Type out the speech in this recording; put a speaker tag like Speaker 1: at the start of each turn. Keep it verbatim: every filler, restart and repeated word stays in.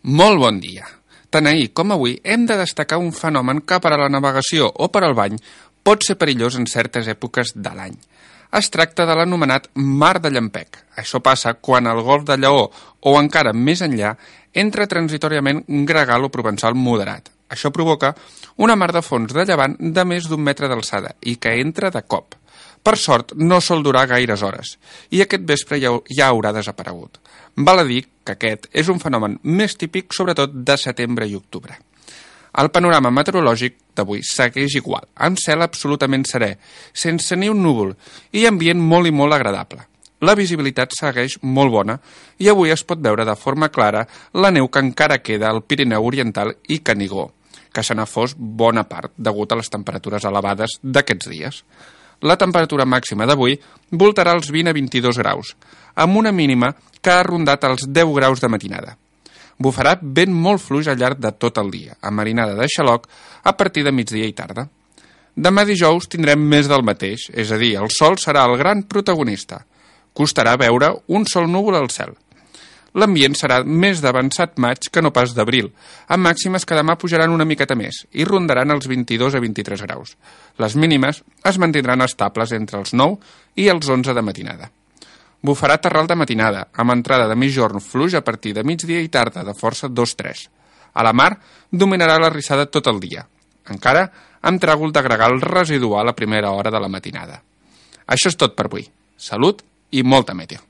Speaker 1: Molt bon dia. Tant ahir com avui hem de destacar un fenomen que per a la navegació o per al bany pot ser perillós en certes èpoques de l'any. Es tracta de l'anomenat mar de llampec. Això passa quan al golf de Lleó o encara més enllà entra transitoriament un gregal o provençal moderat. Això provoca una mar de fons de llevant de més d'un metre d'alçada i que entra de cop. Per sort, no sol durar gaires hores i aquest vespre ja, ja haurà desaparegut. Val a dir que aquest és un fenomen més típic sobretot de setembre i octubre. El panorama meteorològic d'avui segueix igual, amb cel absolutament serè, sense ni un núvol i ambient molt i molt agradable. La visibilitat segueix molt bona i avui es pot veure de forma clara la neu que encara queda al Pirineu Oriental i Canigó, que se n'ha fos bona part degut a les temperatures elevades d'aquests dies. La temperatura màxima d'avui voltarà els vint a vint-i-dos graus, amb una mínima que ha rondat els deu graus de matinada. Bufarà vent molt fluix al llarg de tot el dia, amb marinada de xaloc a partir de migdia i tarda. Demà dijous tindrem més del mateix, és a dir, el sol serà el gran protagonista. Costarà veure un sol núvol al cel. L'ambient serà més d'avançat maig que no pas d'abril, amb màximes que demà pujaran una miqueta més i rondaran els vint-i-dos a vint-i-tres graus. Les mínimes es mantindran estables entre els nou i els onze de matinada. Bufarà terral de matinada, amb entrada de migjorn fluix a partir de migdia i tarda de força dos tres. A la mar dominarà la rissada tot el dia, encara amb tràgol de gregal residual a primera hora de la matinada. Això és tot per avui. Salut i molta meteo.